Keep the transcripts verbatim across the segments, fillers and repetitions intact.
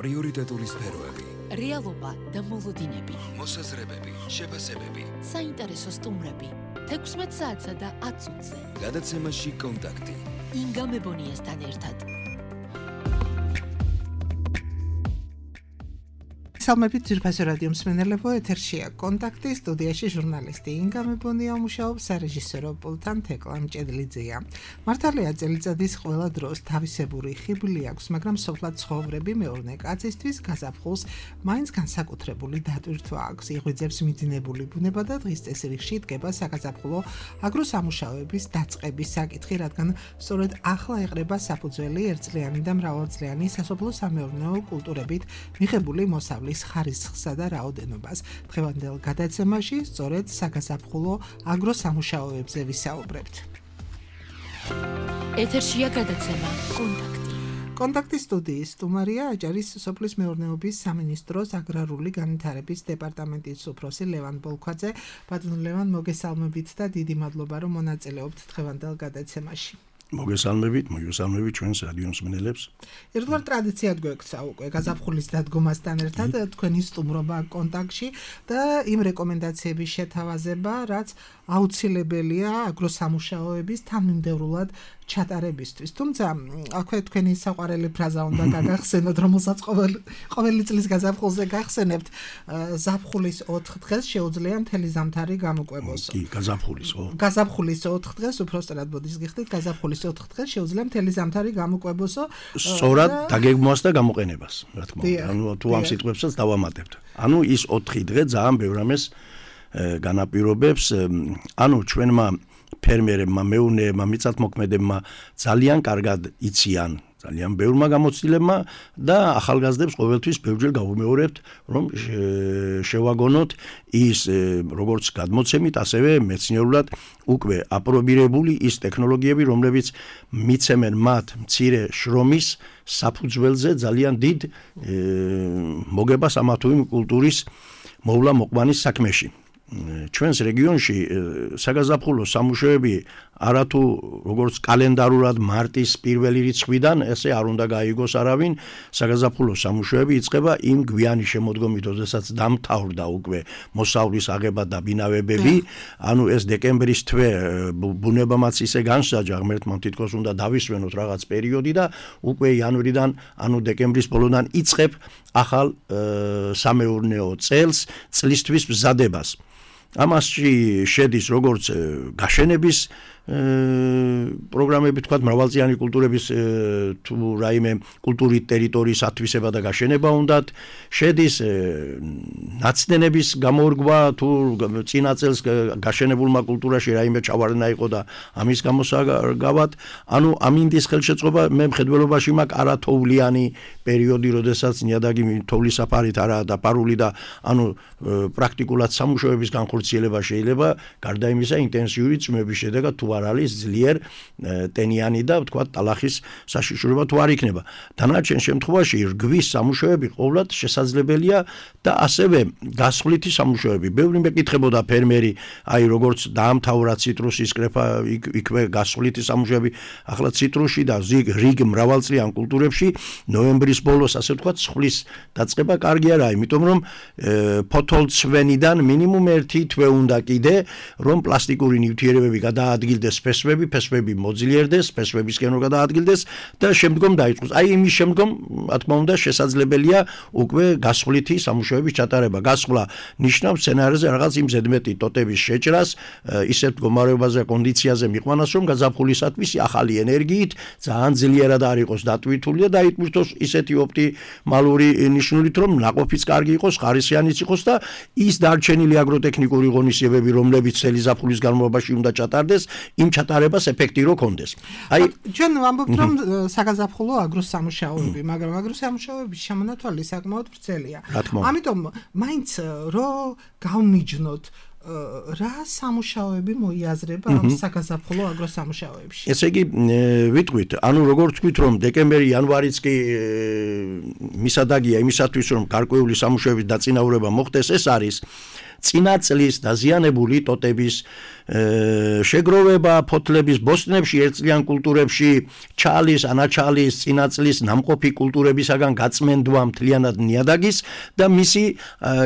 პრიორიტეტული სფეროები, რეალობა და მოლოდინები, მოსაზრებები, შეფასებები, საინტერესო სტუმრები, თექვსმეტ საათსა და ათ წუთზე. გადაცემაში კონტაქტი. ინგა მებონიასთან ერთად. Salmებით ძირფასი რადიო მსმენელებო, ეთერშია კონტაქტი, სტუდიაში ჟურნალისტი ინგა მებონია მუშაობს, სარეჟისორო პულტთან თეკლა მჭედლიძეა. მართალია წელიწადის ყველა დროს თავისებური ხიბლი აქვს, მაგრამ სოფლად ცხოვრები მეურნე კაცისთვის გაზაფხულს მაინც განსაკუთრებული დატვირთვა აქვს. იღვიძებს მიძინებული ბუნება და დღის წესრიგში დგება საგაზაფხულო აგროსამუშაოების დაწყების საკითხი, რადგან სწორედ ახლა ეყრება საფუძველი ერთწლიანი და მრავალწლიანი სასოფლო-სამეურნეო კულტურებით მიღებული მოსავლის ხარისხსა და რაოდენობას. დღევანდელ გადაცემაში სწორედ საგაზაფხულო აგროსამუშაოებზე ვისაუბრებთ. ეთერშია გადაცემა კონტაქტი. კონტაქტის სტუდიის სტუმარია აჭარის სოფლის მეურნეობის სამინისტროს აგრარული განვითარების დეპარტამენტის უფროსი ლევან ბოლქვაძე. ბატონო ლევან, მოგესალმებით და დიდი მადლობა, რომ მონაწილეობთ დღევანდელ გადაცემაში. მოგესალმებით, მოგესალმებით ჩვენს რადიო მსმენელებს. ერთგვარ ტრადიციად გვექცა უკვე გაზაფხულის დადგომასთან ერთად თქვენი სტუმრობა კონტაქტში და იმ რეკომენდაციების შეთავაზება, რაც აუცილებელია აგროსამუშაოების თანმიმდევრულად ჩატარებისთვის. თუმცა, აქვე თქვენი საყვარელი ფრაზა უნდა გაგახსენოთ, რომელსაც ყოველ ყოველი წლის გაზაფხულზე გახსენებთ, ზაფხულის ოთხ დღეს შეუძლია მთელი ზამთარი გამოკვებოსო. კი, გაზაფხულის, ხო. გაზაფხულის ოთხ დღეს უпростоრად ბოდის გიხდით, გაზაფხულის ოთხ დღეს შეუძლია მთელი ზამთარი გამოკვებოსო. სწორად დაგეგმვას და გამოყენებას, რა თქმა უნდა. ანუ თუ ამ სიტყვებსაც დავამატებთ. ანუ ის ოთხი დღე ძალიან ბევრ ამას განაპირობებს, ანუ ჩვენმა ფერმერებმა, მეურნეებმა, მიწათმოქმედებმა ძალიან კარგად იციან ძალიან ბევრმა გამოცდილებმა და ახალგაზრდებს ყოველთვის ბევრჯერ გავუმეორებთ, რომ შევაგონოთ ის როგორც გადმოცემით, ასევე მეცნიერულად უკვე აპრობირებული ის ტექნოლოგიები, რომლებიც მიცემენ მათ მცირე შრომის საფუძველზე ძალიან დიდ მოგებას ამა თუ იმ კულტურის მოვლა მოყვანის საქმეში. ჩვენს რეგიონში საგაზაფხულო სამუშაოები არათუ როგორც კალენდარულად მარტის პირველი რიცხვიდან, ესე არ უნდა გაიგოს არავინ, საგაზაფხულო სამუშაოები იწყება იმ გვიანი შემოდგომით, როდესაც დამთავრდა უკვე მოსავლის აღება და ბინავებები, ანუ ეს დეკემბრის თვე ბუნებამაც ისე განსაჯა, ღმერთმა თითქოს უნდა დავისვენოთ რაღაც პერიოდი და უკვე იანვრიდან, ანუ დეკემბრის ბოლოდან იწყებ ახალ სამეურნეო წელს, წლისთვის მზადებას. ამასში შედის როგორც გაშენების პროგრამები, თქვათ, მრავალწლიანი კულტურების თუ რაიმე კულტურით ტერიტორიის ათვისება და გაშენება უნდათ, შედის ნაცდენების გამორგვა, თუ წინა წელს გაშენებულმა კულტურაში რაიმე ჩავარდნა იყო და ამის გამოსაგავად, ანუ ამინდის ხელშეწყობა მე მხედველობაში მაქვს არათოვლიანი პერიოდი, როდესაც ნიადაგი თოვლისაფარით არაა დაფარული და ანუ პრაქტიკულად სამუშაოების განხორციელება შეიძლება გარდა იმისა ინტენსიური წვიმების შედეგად თუ არ არის ძლიერ ტენიანი და ვთქვათ ტალახის საშიშროება თუ არ იქნება. დანარჩენ შემთხვევაში რგვის სამუშაოები ყოვლად შესაძლებელია და ასევე გასხვლითი სამუშაოები. ბევრი მეკითხებოდა ფერმერი, აი როგორც დაამთავრა ციტრუსის კრეფა, იქვე გასხვლითი სამუშაოები, ახლა ციტრუსში და რიგ მრავალწლიან კულტურებში ნოემბრის ბოლოს ასე ვთქვათ ცხვრის დაწყება კარგი არაა, იმიტომ რომ ფოთოლცვენიდან მინიმუმ ერთი თვე უნდა კიდე, რომ პლასტიკური ნივთიერებები გადაადგილდეს ფესვები, ფესვები მოძლიერდეს, ფესვებისკენ რომ გადაადგილდეს და შემდგომ დაიწყოს. აი იმის შემდგომ, რა თქმა უნდა, შესაძლებელია უკვე გასხვლითი სამუშაოების ჩატარება. გასხლა ნიშნავს სცენარზე რაღაც იმ ზედმეტი ტოტების შეჭრას, ისეთ მდგომარეობაზე, კონდიციაზე მიყვანას, რომ გაზაფხულისათვის ახალი ენერგიით ძალიან ძლიერად არ იყოს დატვირთული და დაიტვირთოს ისეთი ოპტიმალური ნიშნულით, რომ ნაყოფიც კარგი იყოს, ხარისხიანიც იყოს და ის დარჩენილი აგროტექნიკური ღონისძიებები, რომლებიც წელი ზაფხულის განმავლობაში უნდა ჩატარდეს, იმ ჩატარებას ეფექტი რო კონდეს. აი ჩვენ ვამბობთ, რომ საგაზაფხულო აგროსამუშაოები, მაგრამ აგროსამუშაოების შემონათვალი საკმაოდ ვრცელია. ამიტომ მაინც რო გავმიჯნოთ რა სამუშაოები მოიაზრება ამ საგაზაფხულო აგროსამუშაოებში? ესე იგი, ვიტყვით, ანუ როგორც ვთქვით, რომ დეკემბერი, იანვარიც კი მისადაგია იმისათვის, რომ გარკვეული სამუშაოების დაწინაურება მოხდეს, ეს არის წინა წლის დაზიანებული ტოტების შეგროვება ფოთლების ბოსტნებში, ერთწლიან კულტურებში, ჩალის, ანაჩალის, წინაწლის, ნამყოფი კულტურებისაგან გაწმენდვა მთლიანად ნიადაგის და მისი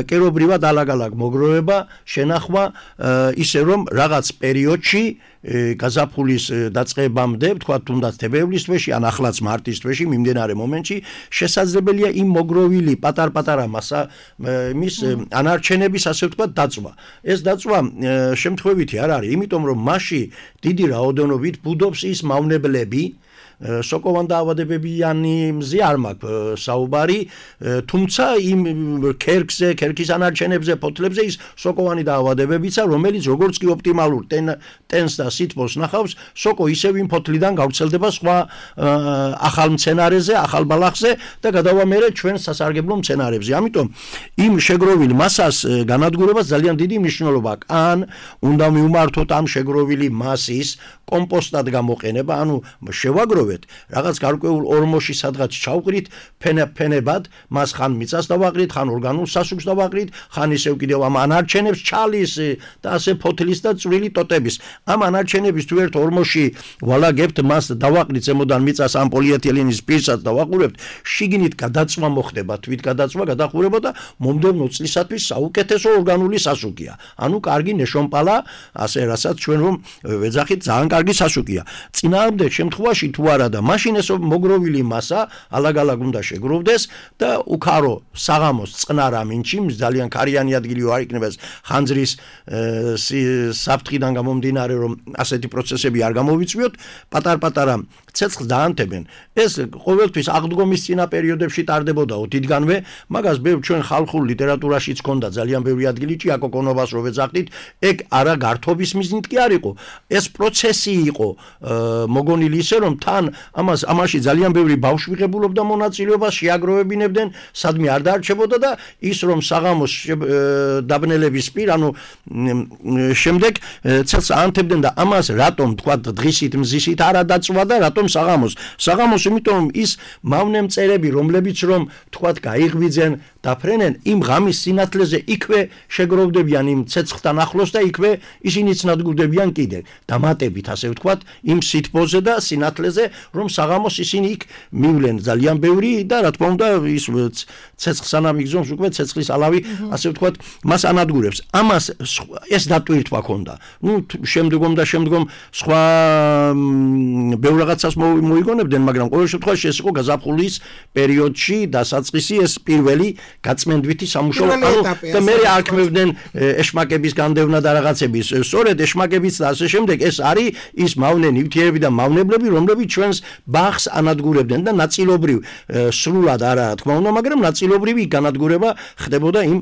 კერობრივად ალაგ-ალაგ მოგროვება, შენახვა, ისე რომ რაღაც პერიოდში გაზაფხულის დაწყებამდე, თქვა თუნდაც თებერვლის თვეში, ან ახლაც მარტის თვეში, მიმდინარე მომენტში შესაძლებელია იმ მოგროვილი პატარ-პატარა მასა მის ანარჩენების, ასე ვთქვათ, დაწვა. ეს დაწვა შემთხვევითი არ არის, იმიტომ რომ მასში დიდი რაოდენობით ბუდობს ის მავნებლები, სოკოვან დაავადებებიანი მზე არ მაქვს საუბარი, თუმცა იმ ქერქზე, ქერქის ანარჩენებზე, ფოთლებზე ის სოკოვანი დაავადებებიცა, რომელიც როგორც კი ოპტიმალურ ტენს და სითბოს ნახავს, სოკო ისევ იმ ფოთლიდან გავრცელდება სხვა ახალ მცენარეზე, ახალ ბალახზე და გადავა მერე ჩვენ სასარგებლო მცენარეებზე. ამიტომ იმ შეგროვილ მასას განადგურებას ძალიან დიდი მნიშვნელობა აქვს. ან უნდა მივმართოთ ამ შეგროვილი მასის კომპოსტად გამოყენება, ანუ შევაგროვეთ რაღაც გარკვეულ ორმოში სადღაც ჩავყრით ფენებად, მას ხან მიწას დავაყრით, ხან ორგანულ სასუქს დავაყრით, ხან ისევ კიდევ ამ ანარჩენებს ჩალის და ასე ფოთლის და წვრილი ტოტების. ამ ანარჩენების თუ ერთ ორმოში ვალაგებთ, მას დავაყრით ზემოდან მიწას ამ პოლიეთილენის პირსაც დავაყურებთ, შიგნით გადაწვა მოხდება, თვით გადაწვა, გადახურება და მომდევნო წლისათვის საუკეთესო ორგანული სასუქია. ანუ კარგი ნეშომპალა, ასე რასაც ჩვენ რომ ვეძახით, ძალიან კარგი სასუქია. წინააღმდეგ შემთხვევაში თუ არა და მაშინ ეს მოგროვილი მასა ალაგ-ალაგ უნდა შეგროვდეს და უქარო საღამოს წყნარ ამინჩი, ძალიან ქარიანი ადგილი არ იქნება ხანძრის საფრთხიდან გამომდინარე, რომ ასეთი პროცესები არ გამოვიწვიოთ, პატარ-პატარა ცეცხლს დაანთებენ. ეს ყოველთვის აღდგომის წინა პერიოდებში ტარდებოდაო დიდგანვე, მაგას ბევრ ჩვენ ხალხურ ლიტერატურაშიც ჰქონდა ძალიან ბევრი ადგილი, ჭიაკო კონოვას რო ვეძახდით, ეგ არა გართობის მიზნით კი არ იყო. ეს პროცესი იყო მოგონილი ისე რომ თან ამას ამაში ძალიან ბევრი ბავშვი ღებულობდა მონაწილეობას, შეაგროვებინებდნენ, სადმე არ დაარჩებოდა და ის რომ საღამოს დაბნელების პირ, ანუ შემდეგ ცელს აანთებდნენ და ამას რატომ თქვა დღისით მზისით არა დაწვა და რატომ საღამოს საღამოს იმიტომ რომ ის მავნე მწერები რომლებიც რომ თქვა გაიღვიძენ დაფრენენ იმ ღამის სინათლეზე იქვე შეგროვდებიან იმ ცეცხლთან ახლოს და იქვე ისინიც ნადგურდებიან კიდე დამატებით ასე ვთქვათ იმ სითბოზე და სინათლეზე რომ საღამოს ისინი იქ მივლენ ძალიან ბევრი და რა თქმა უნდა ის ცეცხლს სანამ იგზნობს უკვე ცეცხლის ალავი ასე ვთქვათ მას ანადგურებს ამას ეს დატვირთვა ქონდა ნუ შემდგომ და შემდგომ სხვა ბევრ რაღაცას მოიგონებდნენ მაგრამ ყოველ შემთხვევაში ეს იყო გაზაფხულის პერიოდში დასაწყისი ეს პირველი გაწმენდვითი სამუშაო და მე არქმევდნენ ეშმაკების განდევნა და რაღაცების სწორედ ეშმაკებიც და ასე შემდეგ ეს არის ის მავნე ნივთიერები და მავნებლები რომლებიც ჩვენს ბაღს ანადგურებდნენ და ნაწილობრივ სრულად არა თქმა უნდა მაგრამ ნაწილობრივი განადგურება ხდებოდა იმ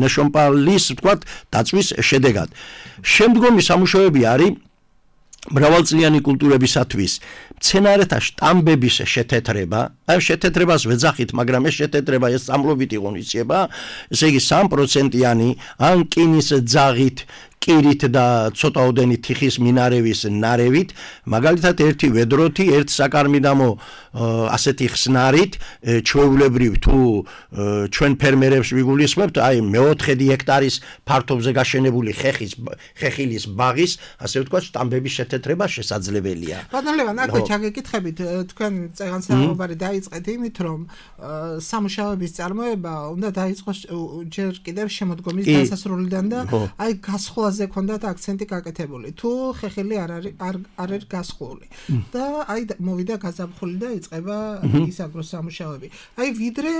ნეშომპალის ვთქვათ დაწვის შედეგად შემდგომი სამუშაოები არის მრავალწლიანი კულტურებისათვის მცენარეთა შტამბების შეთეთრება, აი შეთეთრებას ვეძახით, მაგრამ ეს შეთეთრება ეს სამლობით ღონისება, ესე იგი სამი პროცენტიანი ან კინის ძაღით კირით და ცოტაოდენი თიხის მინარევის ნარევით, მაგალითად ერთი ვედროთი, ერთ საკარმიდამო ასეთი ხსნარით, ჩვეულებრივ თუ ჩვენ ფერმერებს ვიგულისხმებთ, აი მეოთხედი ჰექტარის ფართობზე გაშენებული ხეხის ხეხილის ბაღის, ასე ვთქვათ, შტამბების შეთეთრება შესაძლებელია. ბატონ ლევან, აქვე ჩაგეკითხებით, თქვენ წეგან საუბარი დაიწყეთ იმით, რომ სამუშაოების წარმოება უნდა დაიწყოს ჯერ კიდევ შემოდგომის დასასრულიდან და აი გასხლა ზე ქონდათ აქცენტი გაკეთებული. თუ ხეხილი არ არის არ არის გასხული და აი მოვიდა გაზაფხული და იწყება ისაგრო სამუშაოები. აი ვიდრე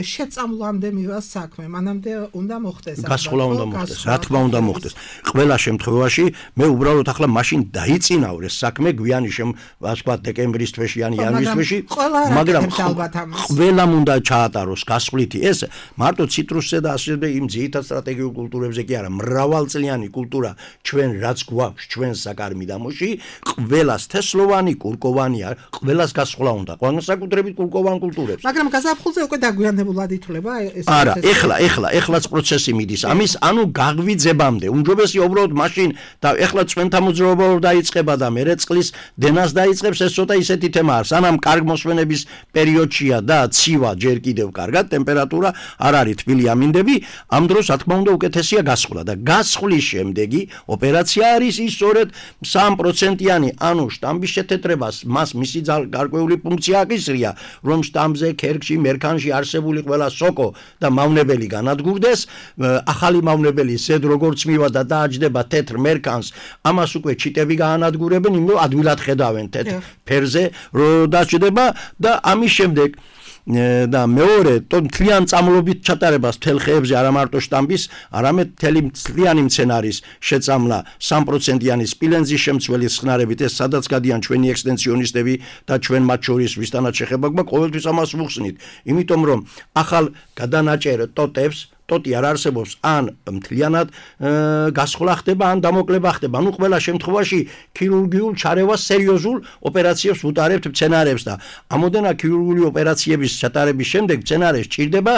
შეწამლამდე მივა საქმე, მანამდე უნდა მოხდეს. გასხლა უნდა მოხდეს. რა თქმა უნდა მოხდეს. ყველა შემთხვევაში მე უბრალოდ ახლა მაშინ დაიწინავრე საქმე გვიანი შემ ვთქვათ დეკემბრის თვეში ან იანვრის თვეში, მაგრამ ყველამ უნდა ჩაატაროს გასხლითი ეს მარტო ციტრუსზე და ასე და იმ ძირითად სტრატეგიულ კულტურებზე კი არა, მრავალწლიანი კულტურა ჩვენ რაც გვაქვს ჩვენ საკარმიდამოში ყველას თესლოვანი კურკოვანი არ ყველას გასხლა უნდა განსაკუთრებით კურკოვან კულტურებს მაგრამ გაზაფხულზე უკვე დაგვიანებულად ითვლება ეს არა ეხლა ეხლა ეხლაც პროცესი მიდის ამის ანუ გაღვიძებამდე უმჯობესია უბრალოდ მაშინ და ეხლა ჩვენთა მოძრაობა დაიწყება და მერე წყლის დენას დაიწყებს ეს ცოტა ისეთი თემა არის სანამ კარგ მოსვენების პერიოდშია და ცივა ჯერ კიდევ კარგად ტემპერატურა არ არის თბილი ამინდები ამ დროს რა თქმა უნდა უკეთესია გასხლა და გასხლის შემდეგი ოპერაცია არის ის სწორედ სამი პროცენტიანი, ანუ შტამბის შეთეთრებას მას მისი გარკვეული ფუნქცია აკისრია, რომ შტამბზე, ქერქში, მერქანში არსებული ყველა სოკო და მავნებელი განადგურდეს, ახალი მავნებელი ზედ როგორც მივა და დააჯდება თეთრ მერქანს, ამას უკვე ჩიტები გაანადგურებენ, იმიტომ ადვილად ხედავენ თეთრ ფერზე, რომ დაჯდება და ამის შემდეგ და მეორე თლიან წამლობით ჩატარებას მთელ ხეებზე არა მარტო შტამბის, არამედ მთელი მთლიანი მცენარის შეწამლა სამი პროცენტიანი სპილენძის შემცველი ხსნარებით, ეს სადაც გადიან ჩვენი ექსტენსიონისტები და ჩვენ მათ შორის ვისთანაც შეხება გვაქვს, ყოველთვის ამას ვუხსნით, იმიტომ რომ ახალ გადანაჭერ ტოტებს ტოტი არ არსებობს, ან მთლიანად გასხლა ხდება, ან დამოკლება ხდება. ანუ ყველა შემთხვევაში ქირურგიულ ჩარევას სერიოზულ ოპერაციებს ვუტარებთ მცენარებს და ამოდენა ქირურგიული ოპერაციების ჩატარების შემდეგ მცენარეს სჭირდება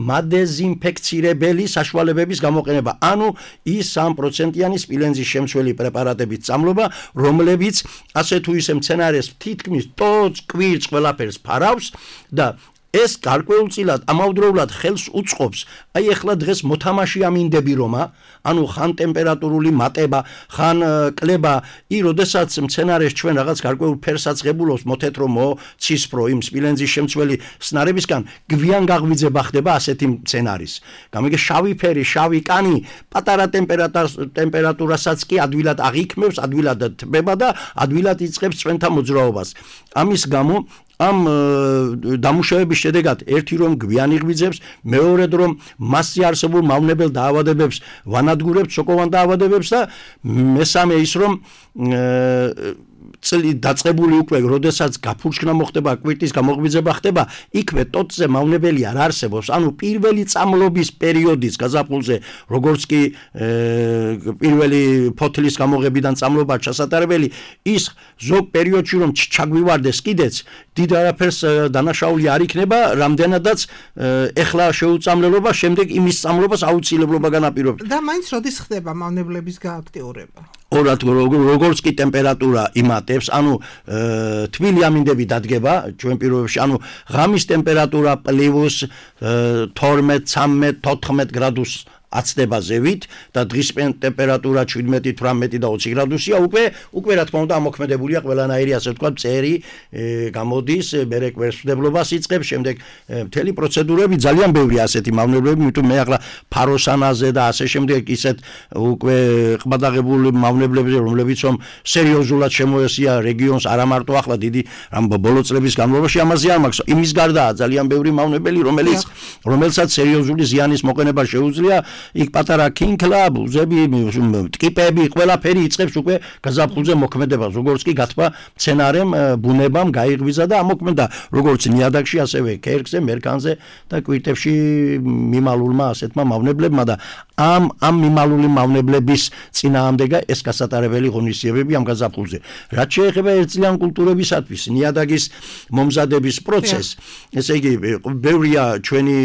მადეზინფექცირებელი საშუალებების გამოყენება. ანუ ის სამი პროცენტიანი სპილენძის შემცველი პრეპარატების წამლობა, რომლებიც ასე თუ ისე მცენარეს თითქმის ტოც, კვირს, ყველაფერს ფარავს და ეს გარკვეულწილად ამავდროულად ხელს უწყობს, აი ახლა დღეს მოთამაში ამინდები რომა, ანუ ხან ტემპერატურული მატება, ხან კლება, ი როდესაც მცენარეს ჩვენ რაღაც გარკვეულ ფერს აწყებულობს, მოთეთრო, მოცისფრო იმ სპილენძის შემცველი ხსნარებისგან გვიან გაღვიძება ხდება ასეთი მცენარის. გამიგე შავი ფერი, შავი კანი, პატარა ტემპერატურასაც კი ადვილად აღიქმევს, ადვილად თბება და ადვილად იწყებს წვენთა მოძრაობას. ამის გამო ამ დამუშავების შედეგად ერთი რომ გვიანი ღვიძებს, მეორედ რომ მასზე არსებულ მავნებელ დაავადებებს ვანადგურებთ, სოკოვან დაავადებებს და მესამე ის რომ წელი დაწყებული უკვე, როდესაც გაფურჩქნა მოხდება, კვირტის გამოღვიძება ხდება, იქვე ტოტზე მავნებელი არ არსებობს, ანუ პირველი წამლობის პერიოდის გაზაფხულზე, როგორც კი პირველი ფოთლის გამოღებიდან წამლობა ჩასატარებელი, ის ზოგ პერიოდში რომ ჩაგვივარდეს კიდეც, დიდ არაფერს დანაშაული არ იქნება, რამდენადაც ეხლა შეუწამლელობა, შემდეგ იმის წამლობას აუცილებლობა განაპირობებს. და მაინც როდის ხდება მავნებლების გააქტიურება? ორად როგორც კი ტემპერატურა იმატებს, ანუ თბილი ამინდები დადგება ჩვენ პირობებში, ანუ ღამის ტემპერატურა პლუს თორმეტ, ცამეტ, თოთხმეტ გრადუსს აცდება ზევით და დღის ტემპერატურა შვიდმეტი, თვრამეტი და ოცი გრადუსია, უკვე უკვე რა თქმა უნდა ამოქმედებულია ყველანაირი ასე ვთქვათ წერი გამოდის, მერე კვერცხმდებლობას იწყებს, შემდეგ მთელი პროცედურები ძალიან ბევრია ასეთი მავნებლები, იმიტომ მე ახლა ფაროსანაზე და ასე შემდეგ ისეთ უკვე ყბადაღებული მავნებლებზე, რომლებიც რომ სერიოზულად შემოესია რეგიონს, არა მარტო ახლა დიდი რამ ბოლო წლების განმავლობაში ამაზე არ მაქვს, იმის გარდაა ძალიან ბევრი მავნებელი, რომელიც რომელსაც სერიოზული ზიანის მოყენება შეუძლია. იქ პატარა ქინქლა, ბუზები, ტკიპები, ყველაფერი იწყებს უკვე გაზაფხულზე მოქმედებას, როგორც კი გათბა მცენარემ, ბუნებამ გაიღვიძა და ამოქმედა, როგორც ნიადაგში, ასევე ქერქზე, მერქანზე და კვირტებში მიმალულმა ასეთმა მავნებლებმა და ამ ამ მიმალული მავნებლების წინააღმდეგა ეს გასატარებელი ღონისძიებები ამ გაზაფხულზე. რაც შეეხება ერთწლიან კულტურებისათვის ნიადაგის მომზადების პროცესს, ესე იგი, ბევრია ჩვენი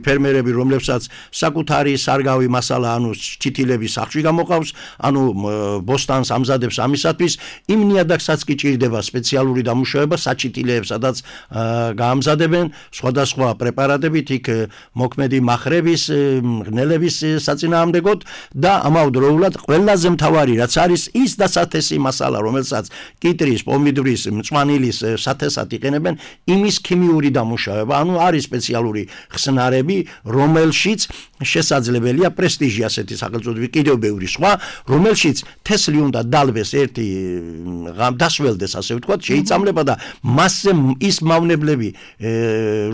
ფერმერები, რომლებსაც საკუთარი სარგავი მასალა, ანუ ჩითილები სახში გამოყავს, ანუ ბოსტანს ამზადებს ამისათვის, იმ ნიადაგსაც კი ჭირდება სპეციალური დამუშავება საჩითილეებს, სადაც გაამზადებენ სხვადასხვა პრეპარატებით, იქ მოქმედი მახრების, ღნელების საწინააღმდეგოდ და ამავდროულად ყველაზე მთავარი რაც არის ის დასათესი მასალა, რომელსაც კიტრის, პომიდრის, მწვანილის სათესად იყენებენ, იმის ქიმიური დამუშავება, ანუ არის სპეციალური ხსნარები, რომელშიც შესაძლებელია პრესტიჟი ასეთი სახელწოდებით კიდევ ბევრი სხვა, რომელშიც თესლი უნდა დალვეს ერთი დასველდეს, ასე ვთქვათ, შეიწამლება და მასზე ის მავნებლები,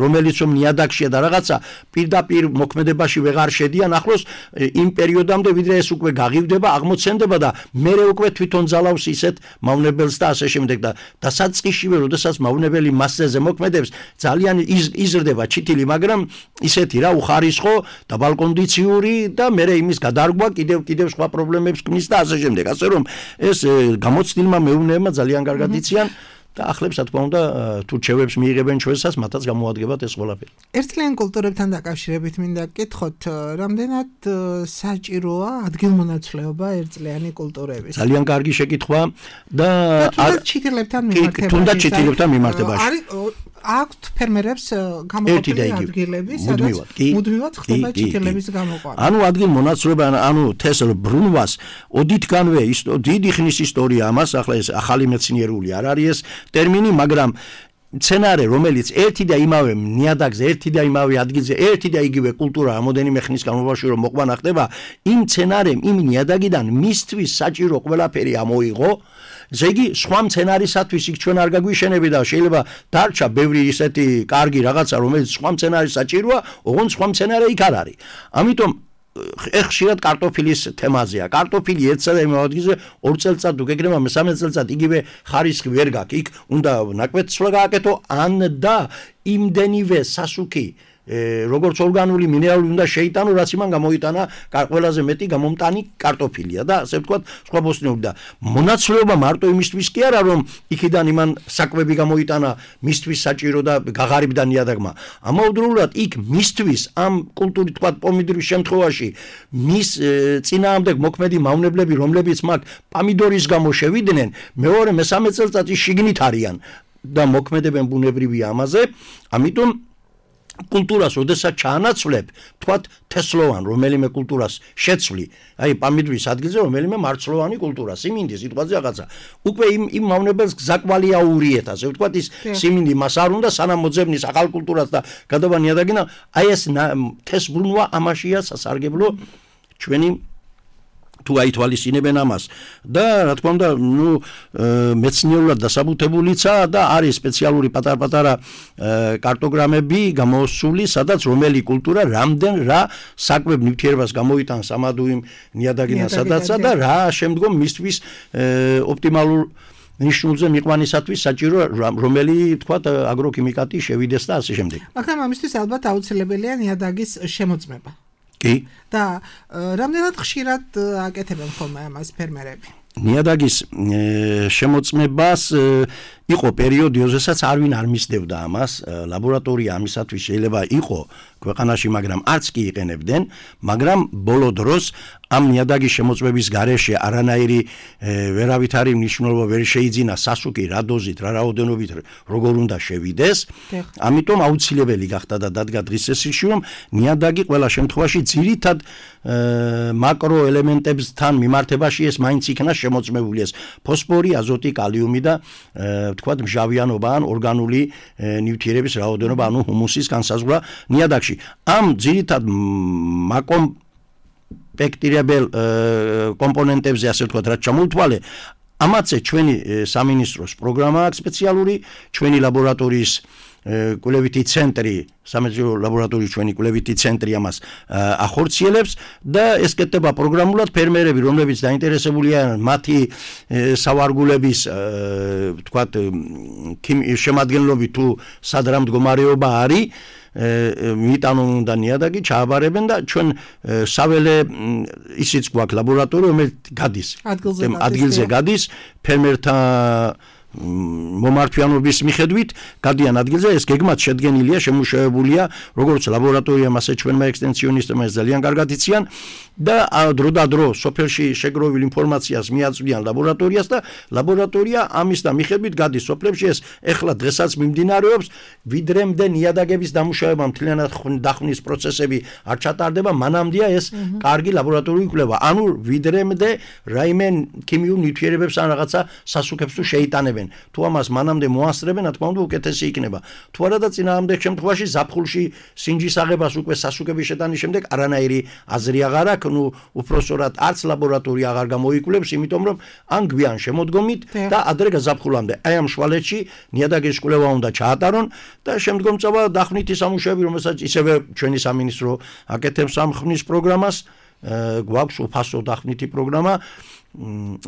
რომელიც რომ ნიადაგშია და რაღაცა პირდაპირ მოქმედებაში ვეღარ შედიან, ახლოს იმ პერიოდამდე ვიდრე ეს უკვე გაღივდება, აღმოცენდება და მერე უკვე თვითონ ძალავს ისეთ მავნებელს და ასე შემდეგ და დასაწყისშივე, როდესაც მავნებელი მასზე მოქმედებს, ძალიან იზრდება ჩითილი, მაგრამ ისეთი რა უხარისხო და ბალკონდიციური და მერე იმის გადარგვა კიდევ კიდევ სხვა პრობლემებს ქმნის და ასე შემდეგ. ასე რომ ეს გამოცდილმა მეურნეებმა ძალიან კარგად იციან და ახლებს რა თქმა უნდა თუ რჩევებს მიიღებენ ჩვენსაც, მათაც გამოადგებათ ეს ყველაფერი. ერთწლიან კულტურებთან დაკავშირებით მინდა გკითხოთ, რამდენად საჭიროა ადგილმონაცვლეობა ერთწლიანი კულტურების? ძალიან კარგი შეკითხვა და თუნდაც ჩითილებთან მიმართებაში. თუნდაც ჩითილებთან მიმართებაში. არის აქვთ ფერმერებს გამოყოფილი ადგილები, სადაც მუდმივად ხდება ჭიქილების გამოყვანა. ანუ ადგილმონაცვლეობა, ანუ თესლ ბრუნვას ოდითგანვე დიდი ხნის ისტორია ამას, ახლა ეს ახალი მეცნიერული არ არის ეს ტერმინი, მაგრამ სცენარე, რომელიც ერთი და იმავე ნიადაგზე, ერთი და იმავე ადგილზე, ერთი და იგივე კულტურა რამოდენიმე ხნის განმავლობაში რომ მოყვანა ხდება, იმ სცენარემ, იმ ნიადაგიდან მისთვის საჭირო ყველაფერი ამოიღო. ესე იგი, სხვა სცენარისათვის იქ ჩვენ არ გაგვიშენები და შეიძლება დარჩა ბევრი ისეთი კარგი რაღაცა, რომელიც სხვა სცენარის საჭიროა, ოღონდ სხვა სცენარი იქ არ არის. ამიტომ ხშირად კარტოფილის თემაზეა. კარტოფილი ერთსა და იმავე ადგილზე ორ წელიწად თუ გეკრება მესამე წელიწად იგივე ხარისხი ვერ გაქვს. იქ უნდა ნაკვეთსვლა გააკეთო ან და იმდენივე სასუქი როგორც ორგანული მინერალური უნდა შეიტანო, რაც იმან გამოიტანა ყველაზე მეტი გამომტანი კარტოფილია და ასე ვთქვათ, სხვა ბოსტნეული და მონაცვლეობა მარტო იმისთვის კი არა, რომ იქიდან იმან საკვები გამოიტანა, მისთვის საჭირო და გაღარიბდა ნიადაგმა. ამავდროულად იქ მისთვის ამ კულტურის ვთქვათ პომიდორის შემთხვევაში მის წინააღმდეგ მოქმედი მავნებლები, რომლებიც მაგ პომიდორის გამო შევიდნენ, მეორე მესამე წელიწადში შიგნით არიან და მოქმედებენ ბუნებრივია ამაზე, ამიტომ კულტურას ოდესაც ჩაანაცვლებ, თქვათ თესლოვან რომელიმე კულტურას შეცვლი, აი პომიდორის ადგილზე რომელიმე მარცვლოვანი კულტურა, სიმინდი სიტყვაზე რაღაცა. უკვე იმ იმ მავნებელს გზაკვალი აურიეთ, ასე ვთქვათ, ის სიმინდი მას არ უნდა სანამ მოძებნის ახალ კულტურას და გადავა ნიადაგიდან, აი ეს თესლბრუნვა ამაშია სასარგებლო ჩვენი თუ აითვალისწინებენ ამას და რა თქმა უნდა, ნუ მეცნიერულად დასაბუთებულიცა და არის სპეციალური პატარ-პატარა კარტოგრამები გამოსული, სადაც რომელი კულტურა რამდენ რა საკვებ ნივთიერებას გამოიტანს ამადუ იმ ნიადაგიდან სადაცა და რა შემდგომ მისთვის ოპტიმალურ ნიშნულზე მიყვანისათვის საჭირო რომელი თქვათ აგროქიმიკატი შევიდეს და ასე შემდეგ. მაგრამ ამისთვის ალბათ აუცილებელია ნიადაგის შემოწმება. კი. და რამდენად ხშირად აკეთებენ ხოლმე ამას ფერმერები? ნიადაგის შემოწმებას იყო პერიოდი, როდესაც არვინ არ მისდევდა ამას, ლაბორატორია ამისათვის შეიძლება იყო ქვეყანაში, მაგრამ არც კი იყენებდნენ, მაგრამ ბოლო დროს ამ ნიადაგის შემოწმების გარეშე არანაირი ვერავითარი მნიშვნელობა ვერ შეიძინა სასუქი რა დოზით, რა რაოდენობით როგორ უნდა შევიდეს. ამიტომ აუცილებელი გახდა და დადგა დღის წესრიგში, რომ ნიადაგი ყველა შემთხვევაში ძირითად მაკრო ელემენტებთან მიმართებაში ეს მაინც იქნა შემოწმებული, ეს ფოსფორი, აზოტი, კალიუმი და თქვათ მჟავიანობა ან ორგანული ნივთიერების რაოდენობა, ანუ ჰუმუსის განსაზღვრა ნიადაგში. ამ ძირითად მაკომ პექტირებელ კომპონენტებზე, ასე ვთქვათ, რაც ჩამოუთვალე, ამაცე ჩვენი სამინისტროს პროგრამა აქვს სპეციალური, ჩვენი ლაბორატორიის კვლევითი ცენტრი, სამეცნიერო ლაბორატორიის ჩვენი კვლევითი ცენტრი ამას ახორციელებს და ეს კეთდება პროგრამულად. ფერმერები, რომლებიც დაინტერესებულია მათი სავარგულების ვთქვათ შემადგენლობით თუ სად რა მდგომარეობა არის, მიიტანონ უნდა ნიადაგი, ჩააბარებენ და ჩვენ საველე ისიც გვაქვს ლაბორატორია, რომელიც გადის ადგილზე გადის ფერმერთა მომართვიანობის მიხედვით გადიან ადგილზე, ეს გეგმად შედგენილია, შემუშავებულია როგორც ლაბორატორიამ, ასე ჩვენმა ექსტენსიონისტებმა ეს ძალიან კარგად იციან და დრო და დრო სოფელში შეგროვილ ინფორმაციას მიაწვდიან ლაბორატორიას და ლაბორატორია ამის და მიხედვით გადის სოფლებში. ეს ეხლა დღესაც მიმდინარეობს, ვიდრემდე ნიადაგების დამუშავება, მთლიანად დახმნის პროცესები არ ჩატარდება, მანამდეა ეს კარგი ლაბორატორიული კვლევა. ანუ ვიდრემდე რაიმე ქიმიურ ნივთიერებებს ან რაღაცა სასუქებს თუ შეიტანებენ. თუ ამას მანამდე მოასწრებენ, რა თქმა უნდა, უკეთესი იქნება. თუ არა და წინააღმდეგ შემთხვევაში ზაფხულში სინჯის აღებას უკვე სასუქების შეტანის შემდეგ არანაირი აზრი აღარ აქვს, ნუ უпроსორად არც ლაბორატორია აღარ გამოიკვლევს, იმიტომ რომ ან გვიან შემოდგომით და ადრე გაზაფხულამდე. აი ამ შვალეთში ნიადაგის კვლევა უნდა ჩაატარონ და შემდგომ წავა დახვნითი სამუშაოები, რომელსაც ისევე ჩვენი სამინისტრო აკეთებს ამ ხმის პროგრამას, გვაქვს უფასო დახვნითი პროგრამა.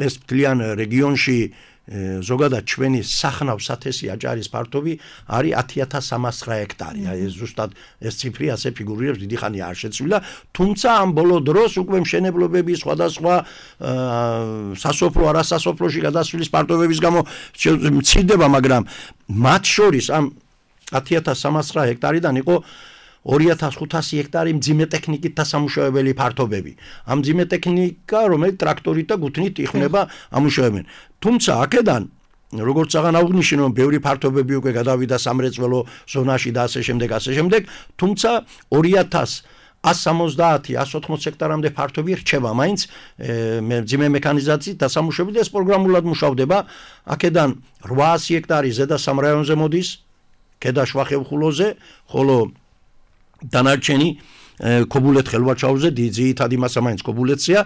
ეს მთლიან რეგიონში ზოგადად ჩვენი სახნავ სათესი აჭარის ფართობი არის ათი ათას სამას ცხრა ჰექტარი. აი ეს ზუსტად ეს ციფრი ასე ფიგურირებს, დიდი ხანია არ შეცვლილა, თუმცა ამ ბოლო დროს უკვე მშენებლობები სხვადასხვა სასოფლო არასასოფლოში გადასვლის ფართობების გამო მცირდება, მაგრამ მათ შორის ამ ათი ათას სამას ცხრა ჰექტარიდან იყო ორი ათას ხუთასი ჰექტარი მძიმე ტექნიკით დასამუშავებელი ფართობები. ამ მძიმე ტექნიკა, რომელიც ტრაქტორით და გუთნით იხმება, ამუშავებენ. თუმცა აქედან როგორც აღარ აღვნიშნე, რომ ბევრი ფართობები უკვე გადავიდა სამრეწველო ზონაში და ასე შემდეგ, ასე შემდეგ, თუმცა ორი ათას ათს სამოცდაათი ათს ოთხმოცი ჰექტარამდე ფართობი რჩება მაინც მძიმე მექანიზაციით დასამუშავებელი და ეს პროგრამულად მუშავდება. აქედან რვაასი ჰექტარი ზედა სამ რაიონზე მოდის, ქედა შვახევხულოზე, ხოლო დანარჩენი ქობულეთ ხელვაჩაუზე ძირითადი მასა მაინც ქობულეთია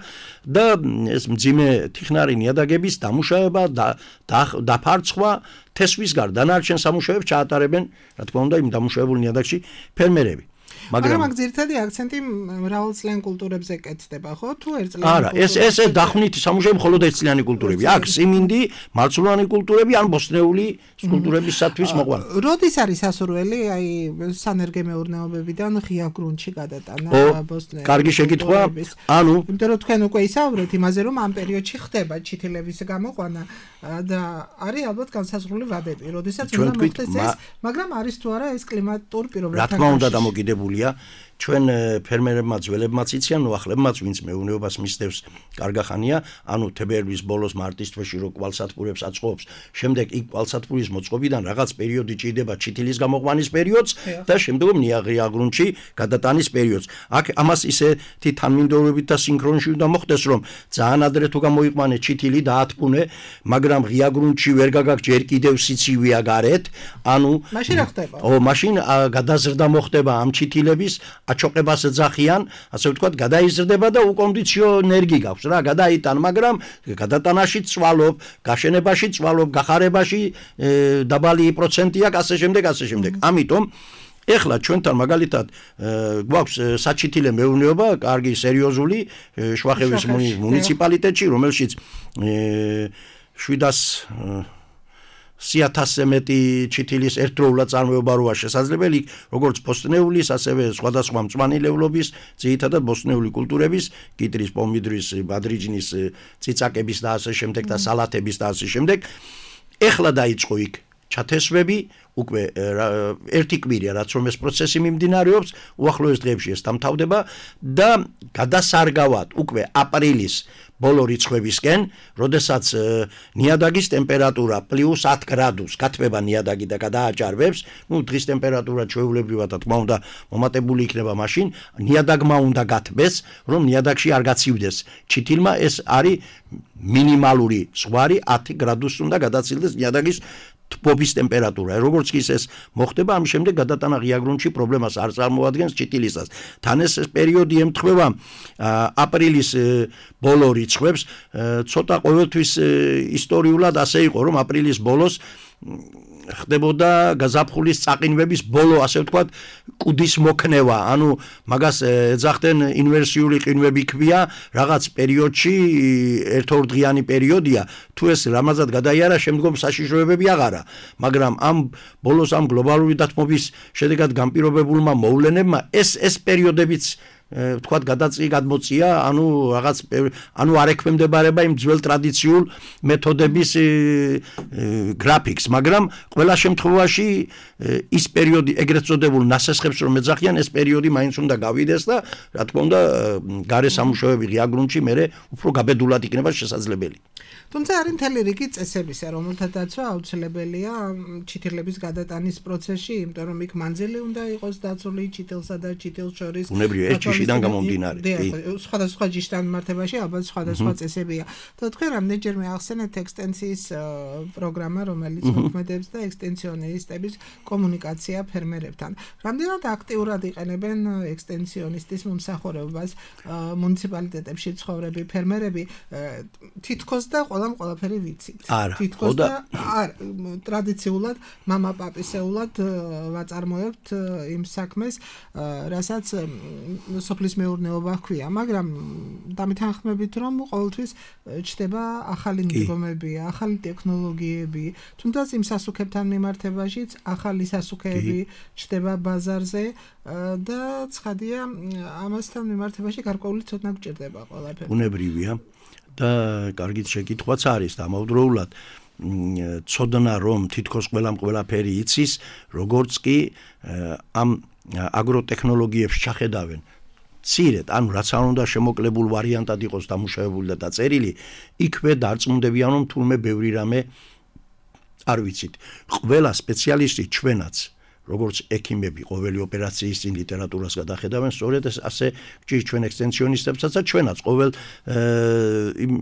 და ეს მძიმე თიხნარი ნიადაგების დამუშავება და დაფარცხვა თესვის გარდა დანარჩენ სამუშაოებს ჩაატარებენ, რა თქმა უნდა, იმ დამუშავებულ ნიადაგში ფერმერები. მაგრამ მაგ ძირითადი აქცენტი მრავალწლიან კულტურებზე კეთდება, ხო? თუ ერთწლიანი არა, ეს ეს დახვნითი სამუშაოები მხოლოდ ერთწლიანი კულტურები. აქ სიმინდი, მარცვლოვანი კულტურები ან ბოსტნეული კულტურებისათვის მოყვანა. როდის არის ასურველი, აი სანერგე მეურნეობებიდან ღია გრუნტში გადატანა ბოსტნეულის? კარგი შეკითხვა. ანუ, იმიტომ რომ თქვენ უკვე ისაუბრეთ იმაზე, რომ ამ პერიოდში ხდება ჩითილების გამოყვანა და არის ალბათ განსაზღვრული ვადები, როდესაც უნდა მოხდეს ეს, მაგრამ არის თუ არა ეს კლიმატურ პირობებთან. რა თქმა უნდა დამოკიდებული ჩვენ ფერმერებმა ძველებმაც იციან, ნუახლებმაც, ვინც მეურნეობას მისდევს კარგა ხანია, ანუ თებერვლის ბოლოს მარტის თვეში რო კვალსათბურებს აწყობს, შემდეგ იქ კვალსათბურის მოწყობიდან რაღაც პერიოდი ჭირდება ჩითილის გამოყვანის პერიოდს და შემდეგ ნიაღია გრუნტში გადატანის პერიოდს. აქ ამას ისეთი თანმიმდევრობით და სინქრონში უნდა მოხდეს, რომ ძალიან ადრე თუ გამოიყვანე ჩითილი და ათბუნე, მაგრამ ღია გრუნტში ვერ გაგაქვს ჯერ კიდევ სიცივეა გარეთ, ანუ მაშინ რა ხდება? ო, მაშინ გადაზრდა მოხდება ამ ჩითილების აჩოყებას ეძახიან, ასე ვთქვათ, გადაიზრდება და უკონდიციონერი გაქვს რა, გადაიტან, მაგრამ გადატანაში წვალობ, გაშენებაში წვალობ, გახარებაში დაბალი პროცენტია, ასე შემდეგ, ასე შემდეგ. ამიტომ ეხლა ჩვენთან მაგალითად გვაქვს საჩითილე მეურნეობა, კარგი სერიოზული შვახევის მუნიციპალიტეტში, რომელშიც შვიდას სიათასზე მეტი ჩითილის ერთდროულად წარმოება როა შესაძლებელი, როგორც ბოსტნეულის, ასევე სხვადასხვა მწვანილევლობის, ძირითადად ბოსტნეული კულტურების, კიტრის, პომიდრის, ბადრიჯნის, ციცაკების და ასე შემდეგ და სალათების და ასე შემდეგ. ეხლა დაიწყო იქ ჩათესვები, უკვე ერთი კვირია, რაც რომ ეს პროცესი მიმდინარეობს, უახლოეს დღეებში ეს დამთავრდება და გადასარგავად უკვე აპრილის ბოლო რიცხვებისკენ, როდესაც ნიადაგის ტემპერატურა პლუს ათ გრადუსს გათბება ნიადაგი და გადააჭარბებს, ну დღის ტემპერატურა ჩვეულებრივად და თქმა უნდა მომატებული იქნება მაშინ, ნიადაგმა უნდა გათბეს, რომ ნიადაგში არ გაცივდეს ჩითილმა, ეს არის მინიმალური ზღვარი ათი გრადუსს უნდა გადაცილდეს ნიადაგის თბობის ტემპერატურა. როგორც კი ეს მოხდება, ამის შემდეგ გადატანა ღია გრუნტში პრობლემას არ წარმოადგენს ჩითილისას. თან ეს პერიოდი ემთხვევა აპრილის ბოლო რიცხვებს, ცოტა ყოველთვის ისტორიულად ასე იყო, რომ აპრილის ბოლოს ხდებოდა გაზაფხულის წაყინვების ბოლო, ასე ვთქვათ, კუდის მოქნევა, ანუ მაგას ეძახდნენ ინვერსიული ყინვები ქვია, რაღაც პერიოდში ერთორდღიანი პერიოდია, თუ ეს რამაზად გადაიარა, შემდგომ საშიშროებები აღარა, მაგრამ ამ ბოლოს ამ გლობალური დათმობის შედეგად განპირობებულმა მოვლენებმა ეს ეს პერიოდებიც ვთქვათ გადაწი გადმოწია, ანუ რაღაც ანუ არ ექვემდებარება იმ ძველ ტრადიციულ მეთოდების გრაფიკს, მაგრამ ყველა შემთხვევაში ის პერიოდი ეგრეთ წოდებულ ნასესხებს რომ ეძახიან, ეს პერიოდი მაინც უნდა გავიდეს და რა თქმა უნდა გარე სამუშაოები ღია გრუნტში მერე უფრო გაბედულად იქნება შესაძლებელი. თუმცა არის მთელი რიგი წესებისა, რომელთა დაცვა აუცილებელია ჩითილების გადატანის პროცესში, იმიტომ რომ იქ მანძილი უნდა იყოს დაცული ჩითილსა და ჩითილს შორის. უნებრივია ეს ჯიშიდან გამომდინარე. სხვადასხვა ჯიშთან მიმართებაში ალბათ სხვადასხვა წესებია. და თქვენ რამდენჯერმე ახსენეთ ექსტენსიის პროგრამა, რომელიც მოქმედებს და ექსტენსიონისტების კომუნიკაცია ფერმერებთან. რამდენად აქტიურად იყენებენ ექსტენსიონისტის მომსახურებას მუნიციპალიტეტებში ცხოვრები ფერმერები, თითქოს და ყველამ ყველაფერი ვიცით. თითქოს და ტრადიციულად მამა-პაპისეულად ვაწარმოებთ იმ საქმეს, რასაც სოფლის მეურნეობა ჰქვია, მაგრამ დამეთანხმებით რომ ყოველთვის ჩდება ახალი მიდგომები, ახალი ტექნოლოგიები, თუნდაც იმ სასუქებთან მიმართებაშიც ახალი სასუქეები ჩდება ბაზარზე და ცხადია ამასთან მიმართებაში გარკვეული ცოდნა გჭირდება ყველაფერი. უნებრივია და კარგით შეკითხვაც არის დამავდროულად ცოდნა რომ თითქოს ყველამ ყველაფერი იცის, როგორც კი ამ აგროტექნოლოგიებს ჩახედავენ ცირეთ, ანუ რაც არ უნდა შემოკლებულ ვარიანტად იყოს დამუშავებული და დაწერილი, იქვე დარწმუნდებიან რომ თურმე ბევრი რამე არ ვიცით. ყველა სპეციალისტი ჩვენაც როგორც ექიმები ყოველი ოპერაციის წინ ლიტერატურას გადახედავენ, სწორედ ასე გჭირს ჩვენ ექსტენსიონისტებსაც და ჩვენაც ყოველ იმ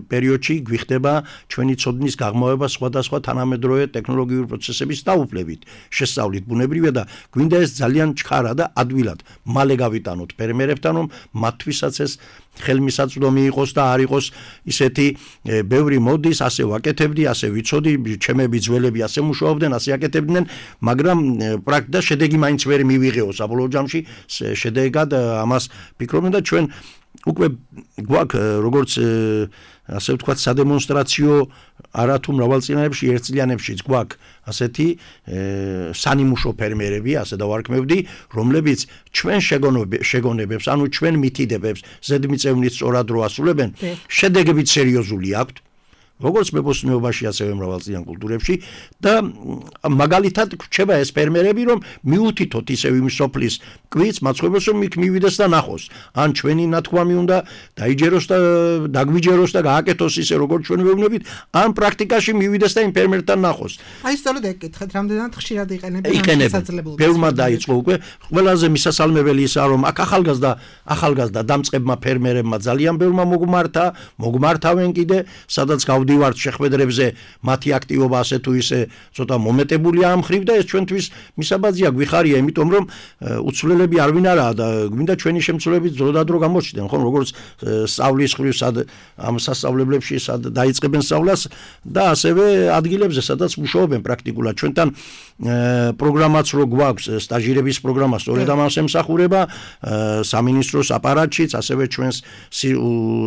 პერიოდში გვიხდება ჩვენი ცოდნის გაღმავება სხვადასხვა თანამედროვე ტექნოლოგიური პროცესების დაუფლებით, შესწავლით ბუნებრივია და გვინდა ეს ძალიან ჩქარა და ადვილად მალე გავიტანოთ ფერმერებთან, რომ მათთვისაც ეს ხელმისაწვდომი იყოს და არ იყოს ისეთი ბევრი მოდის, ასე ვაკეთებდი, ასე ვიცოდი, ჩემები ძველები ასე მუშაობდნენ, ასე აკეთებდნენ, მაგრამ პრაქტიკა შედეგი მაინც ვერ მივიღეო საბოლოო ჯამში, შედეგად ამას ფიქრობდნენ და ჩვენ უკვე გვაქვს როგორც ასე ვთქვათ სადემონსტრაციო არათუ მრავალწლიანებში ერთწლიანებშიც გვაქვს ასეთი სანიმუშო ფერმერები, ასე დავარქმევდი, რომლებიც ჩვენ შეგონებებს, ანუ ჩვენ მითიდებებს ზედმიწევნით სწორად რო ასრულებენ, შედეგებით სერიოზული აქვთ. როგორც მეფოსტნეობაში, ასევე მრავალწლიან კულტურებში და მაგალითად გვჩება ეს ფერმერები, რომ მიუთითოთ ისევ იმ სოფლის კვიც, მაცხოვრებელს, რომ იქ მივიდეს და ნახოს. ან ჩვენი ნათქვამი უნდა დაიჯეროს და დაგვიჯეროს და გააკეთოს ისე, როგორც ჩვენ ვეუბნებით, ან პრაქტიკაში მივიდეს და იმ ფერმერთან ნახოს. აი სწორედ ეკითხეთ, რამდენად ხშირად იყენებენ შესაძლებლობას. ბევრმა დაიწყო უკვე. ყველაზე მისასალმებელი ისაა, რომ აქ ახალგაზრდა ახალგაზრდა დამწყებმა ფერმერებმა ძალიან ბევრმა მოგმართა, მოგმართავენ კიდე, სადაც გავდი ვართ შეხვედრებზე, მათი აქტივობა ასე თუ ისე ცოტა მომეტებულია ამ ხრივ და ეს ჩვენთვის მისაბაძია გვიხარია, იმიტომ რომ უცვლელები არ ვინ არაა და გვინდა ჩვენი შემცვლელებით დროდადრო გამოჩნდნენ, ხო, როგორც სწავლის ხრივ სად ამ სასწავლებლებში სად დაიწყებენ სწავლას და ასევე ადგილებზე, სადაც მუშაობენ პრაქტიკულად. ჩვენთან პროგრამაც რო გვაქვს, სტაჟირების პროგრამა სწორედ ამას ემსახურება, სამინისტროს აპარატშიც, ასევე ჩვენს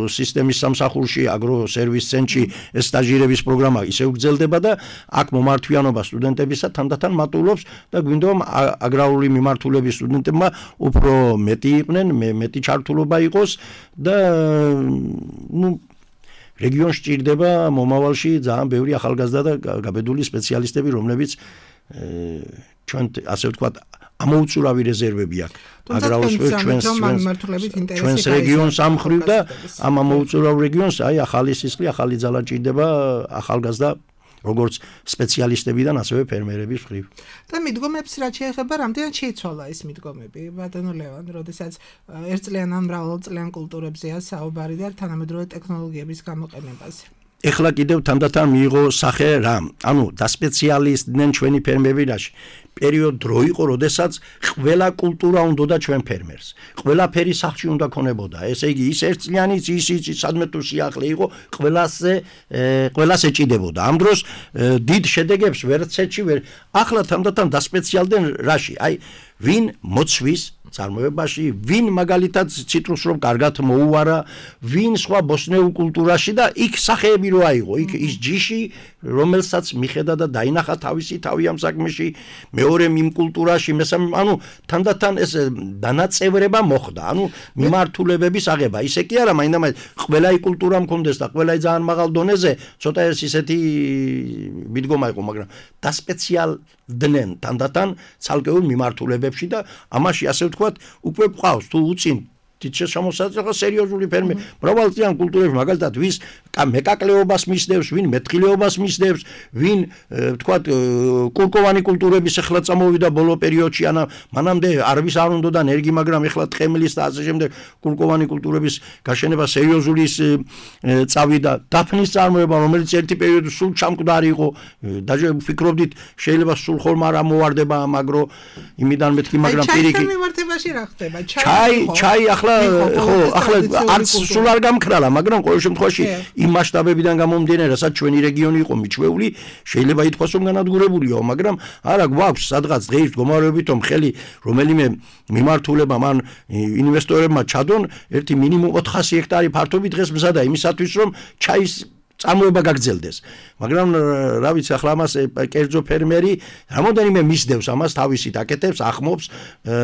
სისტემის სამსახურში, აგრო სერვის ცენტრში ეს სტაჟირების პროგრამა ისევ გრძელდება და აქ მომართვიანობა სტუდენტებისა თანდათან მატულობს და გვინდა რომ აგრარული მიმართულების სტუდენტებმა უფრო მეტი იყვნენ, მეტი ჩართულობა იყოს და ნუ რეგიონში ჭირდება მომავალში ძალიან ბევრი ახალგაზრდა და გაბედული სპეციალისტები, რომლებიც ჩვენ ასე ვთქვათ ამოუწურავი რეზერვები აქვს აგრარულ სფეროს ჩვენს რეგიონს ამ ხრივ და ამ ამოუწურავ რეგიონს აი ახალი სისხლი, ახალი ძალა ჭირდება ახალგაზრდა როგორც სპეციალისტებიდან ასევე ფერმერების ხრივ. და მიდგომებს რაც შეეხება, რამდენად შეიცვალა ეს მიდგომები, ბატონო ლევან, როდესაც ერთწლიან ან მრავალწლიან კულტურებზეა საუბარი და თანამედროვე ტექნოლოგიების გამოყენებაზე. ეხლა კიდევ თანდათან მიიღო სახე რა, ანუ დასპეციალისტდნენ ჩვენი ფერმერებიაში. პერიოდ დრო იყო, როდესაც ყველა კულტურა უნდოდა ჩვენ ფერმერს. ყველაფერი სახლში უნდა ქონებოდა. ესე იგი, ის ერთწლიანიც, ის ის სადმე თუ სიახლე იყო, ყველასე ყველას ეჭიდებოდა. ამ დროს დიდ შედეგებს ვერცეთში ვერ. ახლა თანდათან დასპეციალდნენ რაში? აი, ვინ მოცვის წარმოებაში, ვინ მაგალითად ციტრუსს რომ კარგად მოუვარა, ვინ სხვა ბოსნეულ კულტურაში და იქ სახეები რო აიღო, იქ ის ჯიში, რომელსაც მიხედა და დაინახა თავისი თავი ამ საქმეში, მეორე იმ კულტურაში, მესამე, ანუ თანდათან ეს დანაწევრება მოხდა, ანუ მიმართულებების აღება. ისე კი არა, მაინდა-მაინც ყველა ის კულტურა მქონდეს და ყველა ძალიან მაღალ დონეზე, ცოტა ეს ისეთი მიდგომა იყო, მაგრამ დასპეციალდნენ თანდათან ცალკეულ მიმართულებებში და ამაში ასე ვთქვათ, უკვე ყავს თუ უწინ თითქოს შემოსაწყვეტა სერიოზული ფერმერი. მრავალწლიან კულტურებში მაგალითად ვის მეკაკლეობას მისდევს, ვინ მეთხილეობას მისდევს, ვინ ვთქვათ კულკოვანი კულტურების ახლა წამოვიდა ბოლო პერიოდში, ანა მანამდე არვის არ უნდოდა ენერგი, მაგრამ ახლა თხემლის და ასე შემდეგ კულკოვანი კულტურების გაშენება სერიოზული წავიდა. დაფნის წარმოება, რომელიც ერთი პერიოდი სულ ჩამკვდარი იყო, დაჟე ვფიქრობდით შეიძლება სულ ხოლმე არ ამოვარდება ამ აგრო იმიდან მეთქი, მაგრამ პირიქით. ჩაის მიმართებაში რა ხდება? ჩაი, ჩაი ახლა ხო, ახლა არც სულ არ გამქრალა, მაგრამ ყოველ შემთხვევაში იმ მასშტაბებიდან გამომდინარე, რასაც ჩვენი რეგიონი იყო მიჩვეული, შეიძლება ითქვას რომ განადგურებულიო, მაგრამ არა გვაქვს სადღაც დღეის მდგომარეობით რომ ხელი რომელიმე მიმართულება მან ინვესტორებმა ჩადონ, ერთი მინიმუმ ოთხასი ჰექტარი ფართობი დღეს მზადა იმისათვის რომ ჩაის წარმოება გაგრძელდეს. მაგრამ რა ვიცი, ახლა ამას კერძო ფერმერი რამოდენიმე მისდევს ამას, თავისით აკეთებს, ახმობს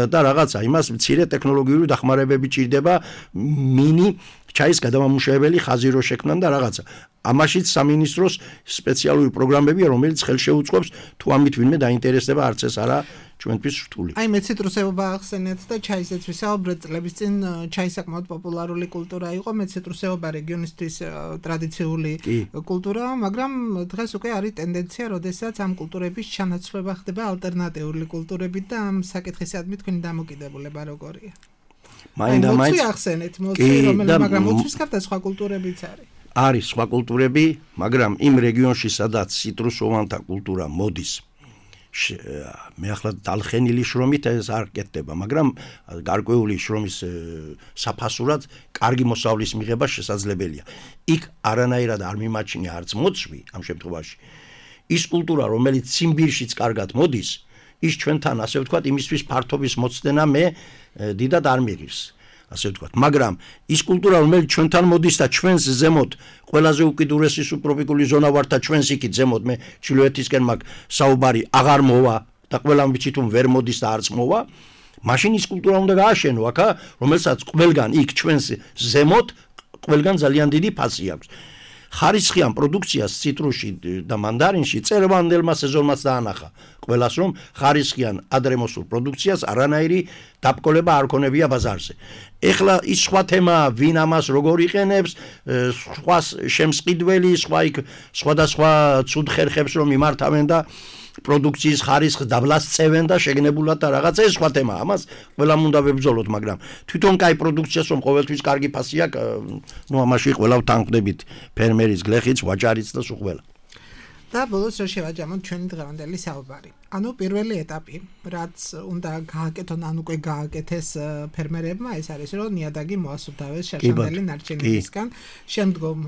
და რაღაცა იმას მცირე ტექნოლოგიური დახმარებები ჭირდება, მინი ჩაის გადამამუშავებელი ხაზი რო შექმნან და რაღაცა. ამაშიც სამინისტროს სპეციალური პროგრამებია, რომელიც ხელშეუწყობს თუ ამით ვინმე დაინტერესდება, არც ეს არა ჩვენთვის რთული. აი მე ციტრუსეობა ახსენეთ და ჩაისეც ვისაუბრეთ წლების წინ ჩაი საკმაოდ პოპულარული კულტურა იყო, მე ციტრუსეობა რეგიონისთვის ტრადიციული კულტურაა, მაგრამ დღეს უკვე არის ტენდენცია, როდესაც ამ კულტურების ჩანაცვლება ხდება ალტერნატიული კულტურებით და ამ საკითხისადმი თქვენი დამოკიდებულება როგორია? მაინდა მაინც ახსენეთ, მოცი რომელიც მაგრამ მოცვის გარდა სხვა კულტურებიც არის. არის სხვა კულტურები, მაგრამ იმ რეგიონში, სადაც ციტრუსოვანთა კულტურა მოდის, მე ახლა დალხენილი შრომით ეს არ კეთდება, მაგრამ გარკვეული შრომის საფასურად კარგი მოსავლის მიღება შესაძლებელია. იქ არანაირად არ მიმაჩნია არც მოცვი ამ შემთხვევაში. ის კულტურა, რომელიც ციმბირშიც კარგად მოდის, ის ჩვენთან, ასე ვთქვათ, იმისთვის ფართობის მოცდენა მე დიდად არ მიღირს. ასე ვთქვათ, მაგრამ ის კულტურა, რომელიც ჩვენთან მოდის და ჩვენს ზემოთ ყველაზე უკიდურესი სუბტროპიკული ზონა ვართ და ჩვენს იქით ზემოთ მე ჩრდილოეთისკენ მაგ საუბარი აღარ მოვა და ყველამ ვიცით რომ ვერ მოდის და არც მოვა, მაშინ ის კულტურა უნდა გააშენო აქა, რომელსაც ყველგან იქ ჩვენს ზემოთ ყველგან ძალიან დიდი ფასი აქვს. ხარისხიან პროდუქციას ციტრუსში და მანდარინში წერვანდელმა სეზონმაც დაანახა. ყველას რომ ხარისხიან ადრემოსულ პროდუქციას არანაირი დაბკოლება არ ქონებია ბაზარზე. ეხლა ის სხვა თემაა, ვინ ამას როგორ იყენებს, სხვა შემსყიდველი, სხვა იქ სხვადასხვა ცუდ ხერხებს რომ იმართავენ და პროდუქციის ხარისხს დაბლას წევენ და შეგნებულად და რაღაცა ეს სხვა თემაა. ამას ყველამ უნდა ვებრძოლოთ, მაგრამ თვითონ კაი პროდუქციას რომ ყოველთვის კარგი ფასი აქვს, ნუ ამაში ყველა ვთანხმდებით ფერმერის გლეხიც, ვაჭარიც და სულ ყველა. და ბოლოს რა შევაჯამოთ ჩვენი დღევანდელი საუბარი. ანუ პირველი ეტაპი, რაც უნდა გააკეთონ, ან უკვე გააკეთეს ფერმერებმა, ეს არის რომ ნიადაგი მოასუფთავეს შაშანდელი ნარჩენებისგან, შემდგომ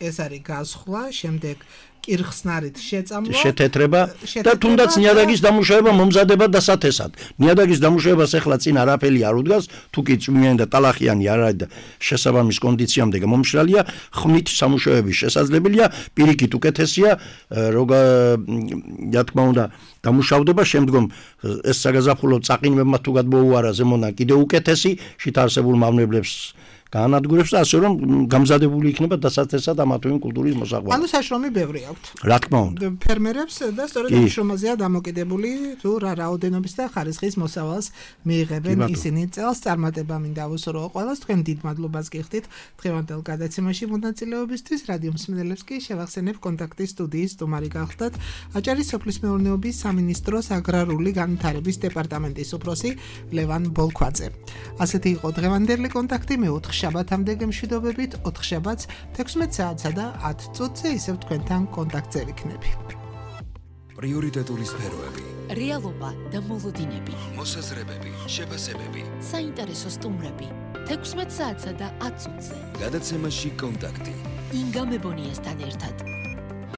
ეს არის გასხლა, შემდეგ კირხსნარით შეწამლა, შეთეთრება და თუნდაც ნიადაგის დამუშავება მომზადება დასათესად. ნიადაგის დამუშავებას ახლა წინ არაფერი არ უდგას, თუ კი წვიმიანი და ტალახიანი არ არის და შესაბამის კონდიციამდე მომშრალია, ხმით სამუშაოები შესაძლებელია, პირიქით უკეთესია, როგა რა თქმა უნდა დამუშავდება, შემდგომ ეს საგაზაფხულო წაყინვებმა თუ გადმოუარა ზემოდან კიდევ უკეთესი, შით არსებულ მავნებლებს განადგურებს და ასე რომ გამზადებული იქნება დასათესად ამა თუ იმ კულტურის მოსაყვანად. ანუ საშრომი ბევრი აქვთ. რა თქმა უნდა. ფერმერებს და სწორედ ამ შრომაზეა დამოკიდებული თუ რა რაოდენობის და ხარისხის მოსავალს მიიღებენ ისინი. წელს წარმატება მინდა ავუსურო ყველას, თქვენ დიდ მადლობას გიხდით დღევანდელ გადაცემაში მონაწილეობისთვის. რადიო მსმენელებს კი შევახსენებ კონტაქტის სტუდიის სტუმარი გახლდათ აჭარის სოფლის მეურნეობის სამინისტროს აგრარული განვითარების დეპარტამენტის უფროსი ლევან ბოლქვაძე. ასეთი იყო დღევანდელი კონტაქტი მეოთხე შაბათამდე გემშვიდობებით, ოთხ შაბათს თექვსმეტ საათსა და ათ წუთზე ისევ თქვენთან კონტაქტზე ვიქნები. პრიორიტეტული სფეროები, რეალობა და მოლოდინები, მოსაზრებები, შეფასებები, საინტერესო სტუმრები, თექვსმეტ საათსა და ათ წუთზე. გადაცემაში კონტაქტი. ინგა მებონიასთან ერთად.